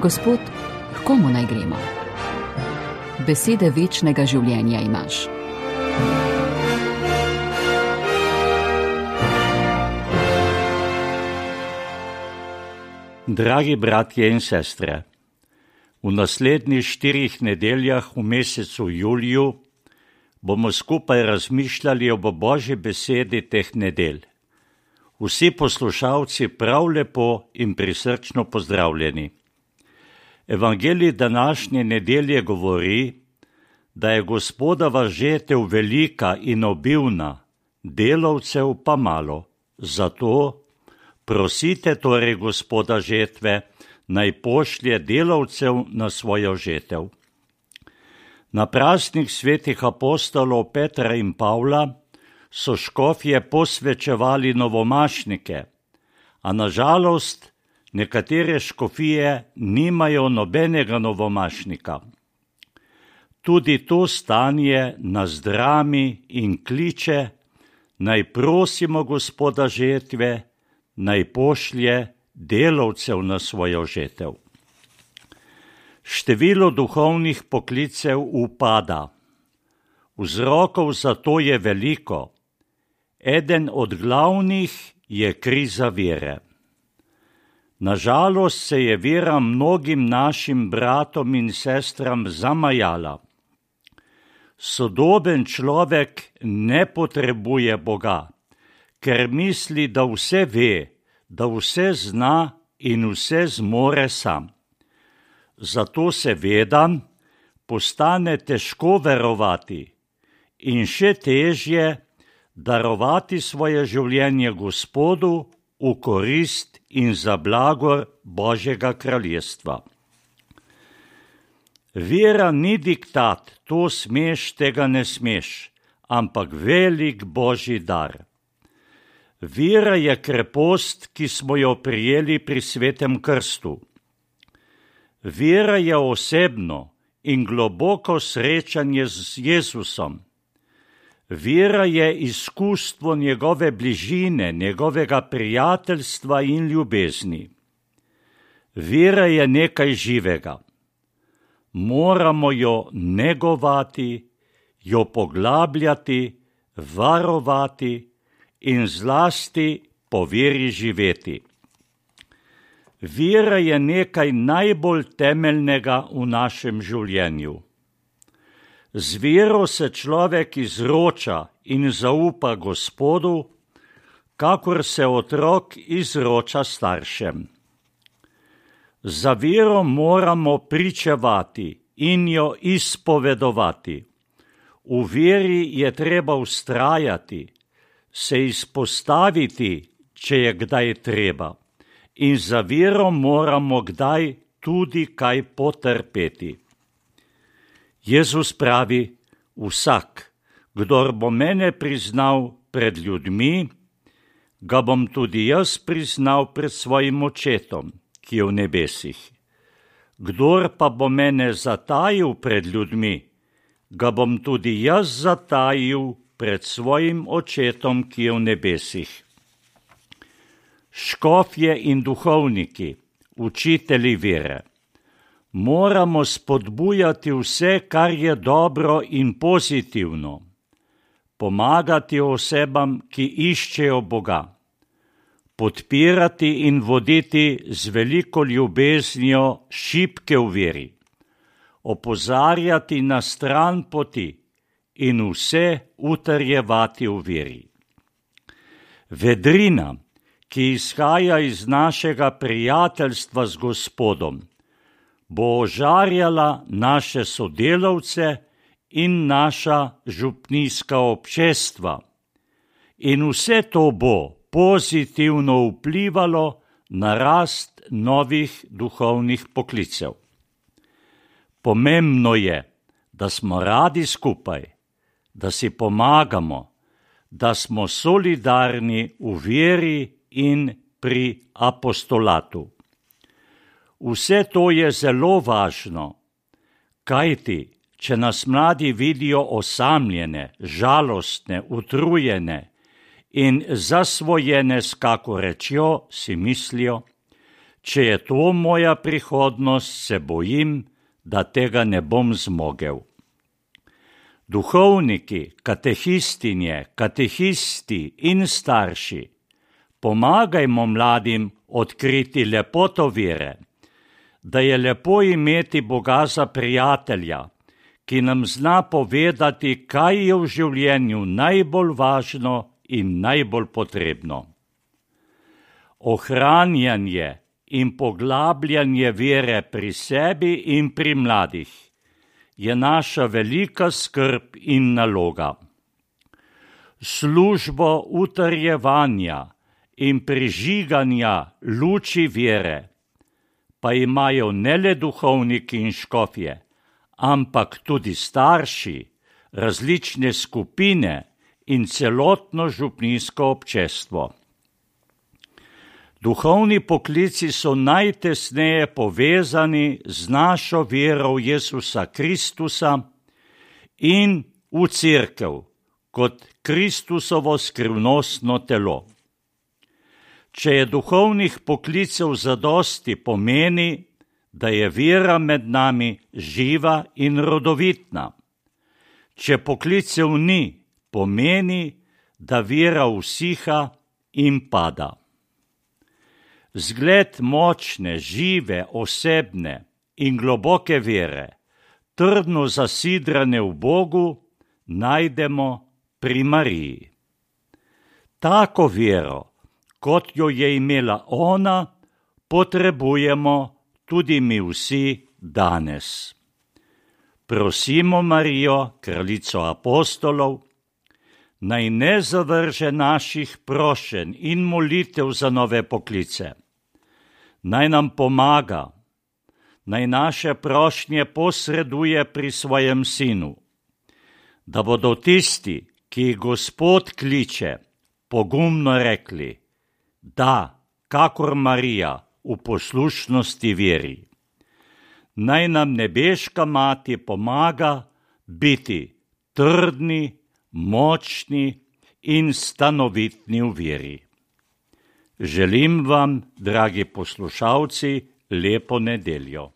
Gospod, h komu naj gremo? Besede večnega življenja imaš. Dragi bratje in sestre, v naslednjih 4 nedeljah v mesecu juliju bomo skupaj razmišljali o Božji besedi teh nedelj. Vsi poslušalci prav lepo in prisrčno pozdravljeni. Evangelij današnje nedelje govori, da je Gospodova žetev velika in obilna, delavcev pa malo. Zato prosite torej Gospoda žetve, naj pošlje delavcev na svojo žetev. Na praznik svetih apostolov Petra in Pavla so škofje posvečevali novomašnike, a nažalost nekatere škofije nimajo nobenega novomašnika. Tudi to stanje nas drami in kliče, naj prosimo Gospoda žetve, naj pošlje delavcev na svojo žetev. Število duhovnih poklicev upada. Vzrokov za to je veliko. Eden od glavnih je kriza vere. Nažalost se je vera mnogim našim bratom in sestram zamajala. Sodoben človek ne potrebuje Boga, ker misli, da vse ve, da vse zna in vse zmore sam. Zato seveda postane težko verovati in še težje darovati svoje življenje Gospodu v korist in za blagor Božjega kraljestva. Vera ni diktat, to smeš, tega ne smeš, ampak velik Božji dar. Vera je krepost, ki smo jo prijeli pri svetem krstu. Vera je osebno in globoko srečanje z Jezusom. Vera je izkustvo njegove bližine, njegovega prijateljstva in ljubezni. Vera je nekaj živega. Moramo jo negovati, jo poglabljati, varovati in zlasti po veri živeti. Vera je nekaj najbolj temeljnega v našem življenju. Z vero se človek izroča in zaupa Gospodu, kakor se otrok izroča staršem. Za vero moramo pričevati in jo izpovedovati. V veri je treba vztrajati, se izpostaviti, če je kdaj treba. In za vero moramo kdaj tudi kaj potrpeti. Jezus pravi, vsak, kdor bo mene priznal pred ljudmi, ga bom tudi jaz priznal pred svojim očetom, ki je v nebesih. Kdor pa bo mene zatajil pred ljudmi, ga bom tudi jaz zatajil pred svojim očetom, ki je v nebesih. Škofje in duhovniki, učitelji vere, moramo spodbujati vse, kar je dobro in pozitivno, pomagati osebam, ki iščejo Boga, podpirati in voditi z veliko ljubeznijo šibke v veri, opozarjati na stran poti in vse utrjevati v veri. Vedrina, ki izhaja iz našega prijateljstva z Gospodom, bo ožarjala naše sodelavce in naša župnijska občestva. In vse to bo pozitivno vplivalo na rast novih duhovnih poklicev. Pomembno je, da smo radi skupaj, da si pomagamo, da smo solidarni v veri in pri apostolatu. Vse to je zelo važno, kajti, če nas mladi vidijo osamljene, žalostne, utrujene in zasvojene s kako rečjo, si mislijo, Če je to moja prihodnost, se bojim, da tega ne bom zmogel. Duhovniki, katehistinje, katehisti in starši, pomagajmo mladim odkriti lepoto vere, da je lepo imeti Boga za prijatelja, ki nam zna povedati, kaj je v življenju najbolj važno in najbolj potrebno. Ohranjanje in poglabljanje vere pri sebi in pri mladih je naša velika skrb in naloga. Službo utrjevanja in prižiganja luči vere pa imajo ne le duhovniki in škofje, ampak tudi starši, različne skupine in celotno župnijsko občestvo. Duhovni poklici so najtesneje povezani z našo vero v Jezusa Kristusa in v Cerkev kot Kristusovo skrivnostno telo. Če je duhovnih poklicev zadosti, pomeni, da je vera med nami živa in rodovitna. Če poklicev ni, pomeni, da vera usiha in pada. Zgled močne, žive, osebne in globoke vere, trdno zasidrane v Bogu, najdemo pri Mariji. Tako vero, kot jo je imela ona, potrebujemo tudi mi vsi danes. Prosimo Marijo, kraljico apostolov, naj ne zavrže naših prošenj in molitev za nove poklice. Naj nam pomaga, naj naše prošnje posreduje pri svojem sinu, da bodo tisti, ki jih Gospod kliče, pogumno rekli, da, kakor Marija, v poslušnosti veri. Naj nam nebeška mati pomaga biti trdni, močni in stanovitni v veri. Želim vam, dragi poslušalci, lepo nedeljo.